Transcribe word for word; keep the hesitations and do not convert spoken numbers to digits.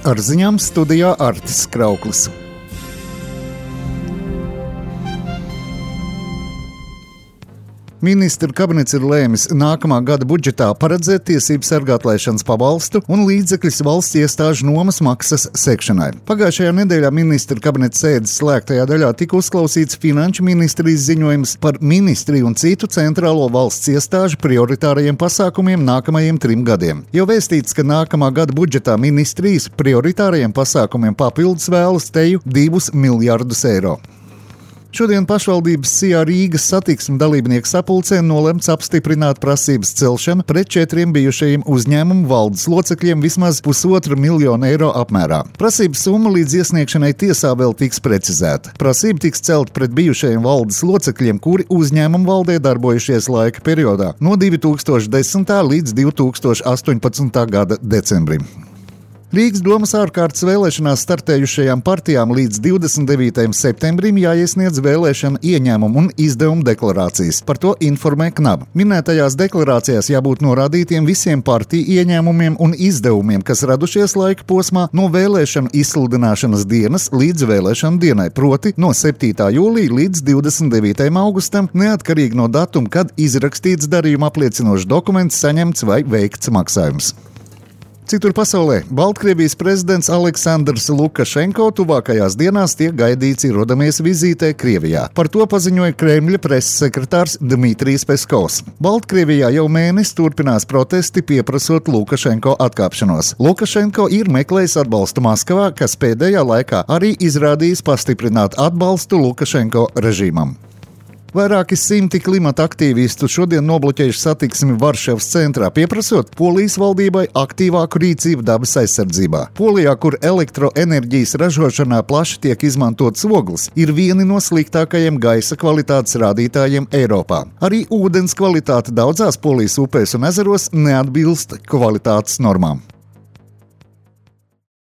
ar ziņām studijā Artis Krauklis. Ministru kabinets ir lēmis nākamā gada budžetā paredzēt tiesību sargātlaišanas pabalstu un līdzekļus valsts iestāžu nomas maksas sekšanai. Pagājušajā nedēļā ministru kabineta sēdes slēgtajā daļā tika uzklausīts Finanšu ministrijas ziņojums par ministriju un citu centrālo valsts iestāžu prioritārajiem pasākumiem nākamajiem trim gadiem. Jau vēstīts, ka nākamā gada budžetā ministrijas prioritārajiem pasākumiem papildus vēlas teju divus miljardus eiro. Šodien pašvaldības Sijā Rīgas satiksmes dalībnieku sapulcē nolemts apstiprināt prasības celšanu pret četriem bijušajiem uzņēmumu valdes locekļiem vismaz pusotra miljona eiro apmērā. Prasības summa līdz iesniegšanai tiesā vēl tiks precizēta. Prasība tiks celt pret bijušajiem valdes locekļiem, kuri uzņēmumu valdē darbojušies laika periodā no divi tūkstoši desmitā līdz divi tūkstoši astoņpadsmitā gada decembrim. Rīgas domas ārkārtas vēlēšanās startējušajām partijām līdz divdesmit devītajam septembrim jāiesniedz vēlēšana ieņēmumu un izdevumu deklarācijas. Par to informē Knab. Minētajās deklarācijās jābūt norādītiem visiem partiju ieņēmumiem un izdevumiem, kas radušies laika posmā no vēlēšanu izsludināšanas dienas līdz vēlēšanu dienai, proti no septītā jūlija līdz divdesmit devītajam augustam, neatkarīgi no datuma, kad izrakstīts darījuma apliecinošs dokuments, saņemts vai veikts maksājums. Citur pasaulē Baltkrievijas prezidents Aleksandrs Lukašenko tuvākajās dienās tiek gaidīts ierodamies vizītē Krievijā. Par to paziņoja Kremļa preses sekretārs Dmitrijs Peskovs. Baltkrievijā jau mēnesi turpinās protesti pieprasot Lukašenko atkāpšanos. Lukašenko ir meklējis atbalstu Maskavā, kas pēdējā laikā arī izrādījis pastiprināt atbalstu Lukašenko režīmam. Vairāki simti klimata aktīvistu šodien nobloķējuši satiksmi Varšavas centrā, pieprasot Polijas valdībai aktīvāku rīcību dabas aizsardzībā. Polijā, kur elektroenerģijas ražošanā plaši tiek izmantots ogles, ir vieni no sliktākajiem gaisa kvalitātes rādītājiem Eiropā. Arī ūdens kvalitāte daudzās Polijas upēs un ezeros neatbilst kvalitātes normām.